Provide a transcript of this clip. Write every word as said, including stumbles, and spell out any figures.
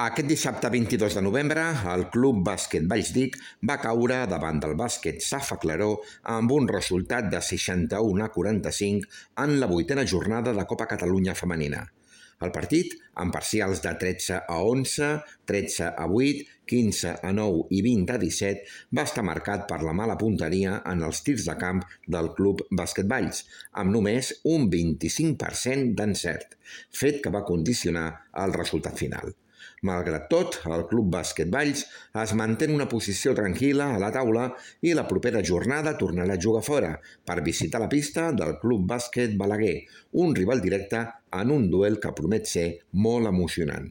Aquest dissabte vint-i-dos de novembre, el Club Bàsquet Vallsdic va caure davant del bàsquet Safa Claró amb un resultat de seixanta-u a quaranta-cinc en la vuitena jornada de Copa Catalunya Femenina. El partit, amb parcials de tretze a onze, tretze a vuit, quinze a nou i vint a disset, va estar marcat per la mala punteria en els tirs de camp del Club Bàsquet Valls, amb només un vint-i-cinc per cent d'encert, fet que va condicionar el resultat final. Malgrat tot, el Club Bàsquet Valls es manté en una posició tranquil·la a la taula i la propera jornada tornarà a jugar fora per visitar la pista del Club Bàsquet Balaguer, un rival directe en un duel que promet ser molt emocionant.